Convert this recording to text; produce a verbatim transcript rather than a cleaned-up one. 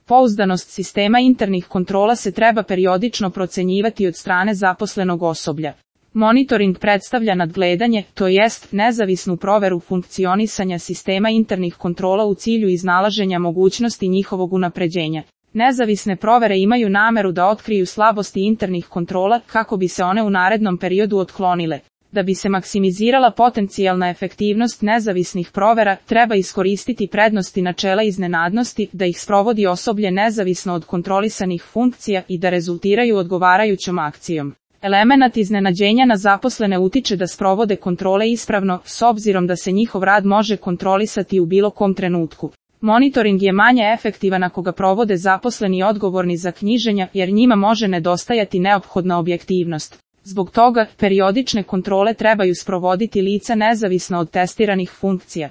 Pouzdanost sistema internih kontrola se treba periodično procenjivati od strane zaposlenog osoblja. Monitoring predstavlja nadgledanje, to jest nezavisnu proveru funkcionisanja sistema internih kontrola u cilju iznalaženja mogućnosti njihovog unapređenja. Nezavisne provere imaju nameru da otkriju slabosti internih kontrola kako bi se one u narednom periodu otklonile. Da bi se maksimizirala potencijalna efektivnost nezavisnih provera, treba iskoristiti prednosti načela iznenadnosti, da ih sprovodi osoblje nezavisno od kontrolisanih funkcija i da rezultiraju odgovarajućom akcijom. Elemenat iznenađenja na zaposlene utiče da sprovode kontrole ispravno, s obzirom da se njihov rad može kontrolisati u bilo kom trenutku. Monitoring je manje efektivan ako ga provode zaposleni odgovorni za knjiženja, jer njima može nedostajati neophodna objektivnost. Zbog toga, periodične kontrole trebaju sprovoditi lica nezavisno od testiranih funkcija.